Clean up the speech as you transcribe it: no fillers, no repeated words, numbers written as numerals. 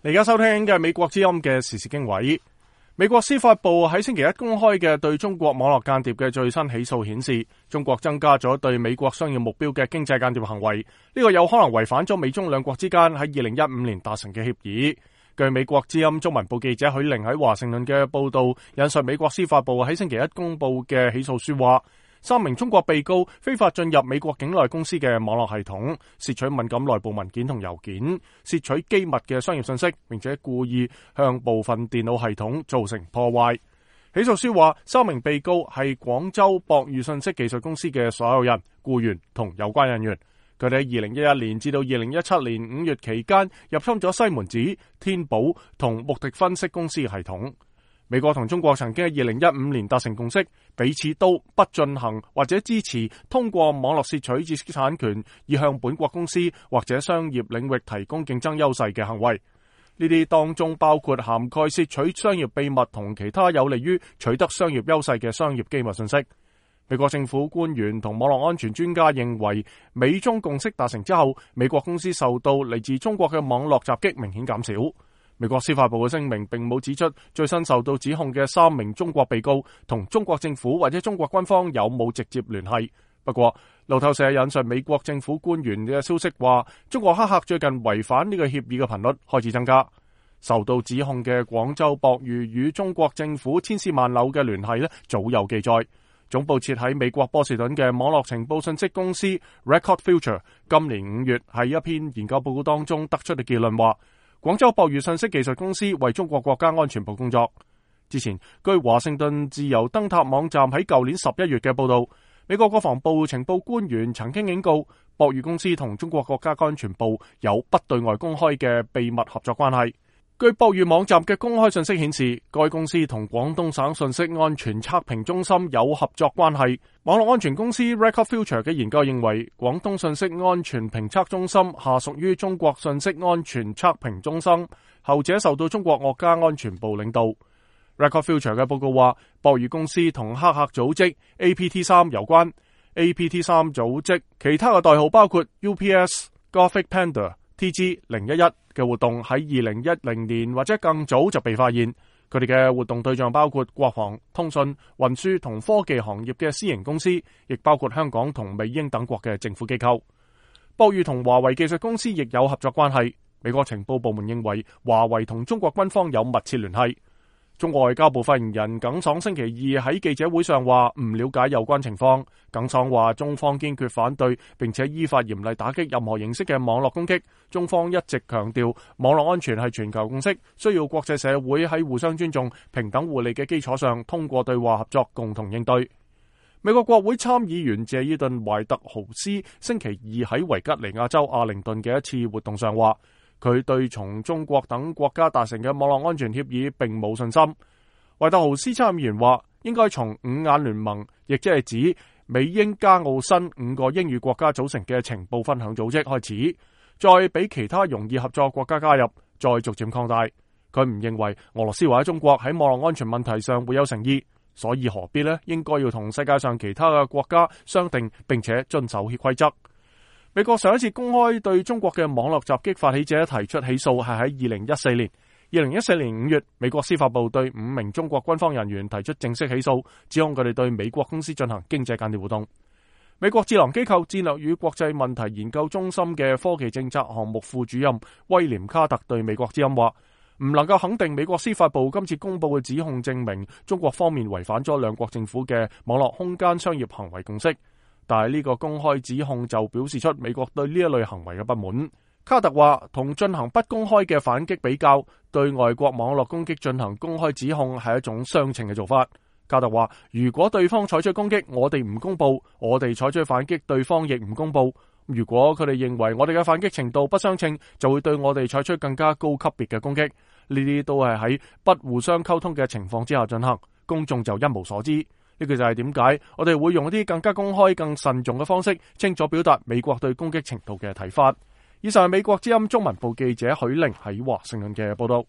你而家收聽嘅係美國之音嘅時事經緯。美國司法部喺星期一公開嘅對中國網絡間諜嘅最新起訴顯示，中國增加咗對美國商業目標嘅經濟間諜行為，呢個有可能違反咗美中兩國之間喺2015年達成嘅協議。據美國之音中文部記者許玲喺華盛頓嘅報道，引述美國司法部喺星期一公布嘅起訴書話，3名中國被告非法進入美國境內公司嘅網絡系統，竊取敏感內部文件同郵件，竊取機密嘅商業信息，並且故意向部分電腦系統造成破壞。起訴書話，3名被告係廣州博裕信息技術公司嘅所有人、僱員同有關人員。佢哋喺2011年至到2017年5月期間入侵咗西門子、天寶同穆迪分析公司嘅系統。美國同中國曾經喺2015年達成共識，彼此都不進行或者支持通過網絡竊取知識產權以向本國公司或者商業領域提供競爭優勢嘅行為。呢啲當中包括涵蓋竊取商業秘密同其他有利於取得商業優勢嘅商業機密信息。美國政府官員同網絡安全專家認為，美中共識達成之後，美國公司受到嚟自中國嘅網絡襲擊明顯減少。美國司法部嘅聲明並冇指出最新受到指控嘅3名中國被告同中國政府或者中國軍方有冇直接聯繫。不過，路透社引述美國政府官員嘅消息話，中國黑客最近違反呢個協議嘅頻率開始增加。受到指控嘅廣州博裕與中國政府千絲萬縷嘅聯繫早有記載。總部設喺美國波士頓嘅網絡情報信息公司 Record Future 今年5月喺一篇研究報告當中得出嘅結論話，廣州博裕信息技術公司為中國國家安全部工作。之前，據華盛頓自由燈塔網站喺舊年11月嘅報道，美國國防部情報官員曾經警告，博裕公司同中國國家安全部有不對外公開嘅秘密合作關係。據博裕網站嘅公開信息顯示，該公司同廣東省信息安全測評中心有合作關係。網絡安全公司 Record Future 嘅研究認為，廣東信息安全評測中心下屬於中國信息安全測評中心，後者受到中國國家安全部領導。Record Future 嘅報告話，博裕公司同黑客組織 APT3 有關。APT3 組織其他嘅代號包括 UPS、Gothic Panda、TG011 嘅活動喺2010年或者更早就被發現，佢哋嘅活動對象包括國防、通訊、運輸同科技行業嘅私營公司，亦包括香港同美英等國嘅政府機構。博裕同華為技術公司亦有合作關係。美國情報部門認為華為同中國軍方有密切聯繫。中國外交部發言人耿爽星期二喺記者會上話唔了解有關情況。耿爽話中方堅決反對，並且依法嚴厲打擊任何形式嘅網絡攻擊。中方一直強調網絡安全係全球共識，需要國際社會喺互相尊重、平等互利嘅基礎上，通過對話合作共同應對。美國國會參議員謝爾頓懷特豪斯星期二喺維吉尼亞州阿靈頓嘅一次活動上話，佢對從中國等國家達成嘅網絡安全協議並冇信心。懷特豪斯參議員話，應該從五眼聯盟，亦即係指美英加澳新5個英語國家組成嘅情報分享組織開始，再俾其他容易合作國家加入，再逐漸擴大。佢唔認為俄羅斯或者中國喺網絡安全問題上會有誠意，所以何必呢？應該要同世界上其他嘅國家商定，並且遵守規則。美國上一次公開對中國嘅網絡襲擊發起者提出起訴係喺2014年。2014年5月，美國司法部對5名中國軍方人員提出正式起訴，指控佢哋對美國公司進行經濟間諜活動。美國智囊機構戰略與國際問題研究中心嘅科技政策項目副主任威廉卡特對美國之音話，唔能夠肯定美國司法部今次公布嘅指控證明中國方面違反咗兩國政府嘅網絡空間商業行為共識。但係呢個公開指控就表示出美國對呢一類行為嘅不滿。卡特話，同進行不公開嘅反擊比較，對外國網絡攻擊進行公開指控係一種相稱嘅做法。卡特話，如果對方採取攻擊，我哋唔公布，我哋採取反擊，對方亦唔公布。如果佢哋認為我哋嘅反擊程度不相稱，就會對我哋採取更加高級別嘅攻擊。呢啲都係喺不互相溝通嘅情況之下進行，公眾就一無所知。呢個就係點解我哋會用一啲更加公開、更慎重嘅方式，清楚表達美國對攻擊程度嘅睇法。以上係美國之音中文部記者許玲喺華盛頓嘅報道。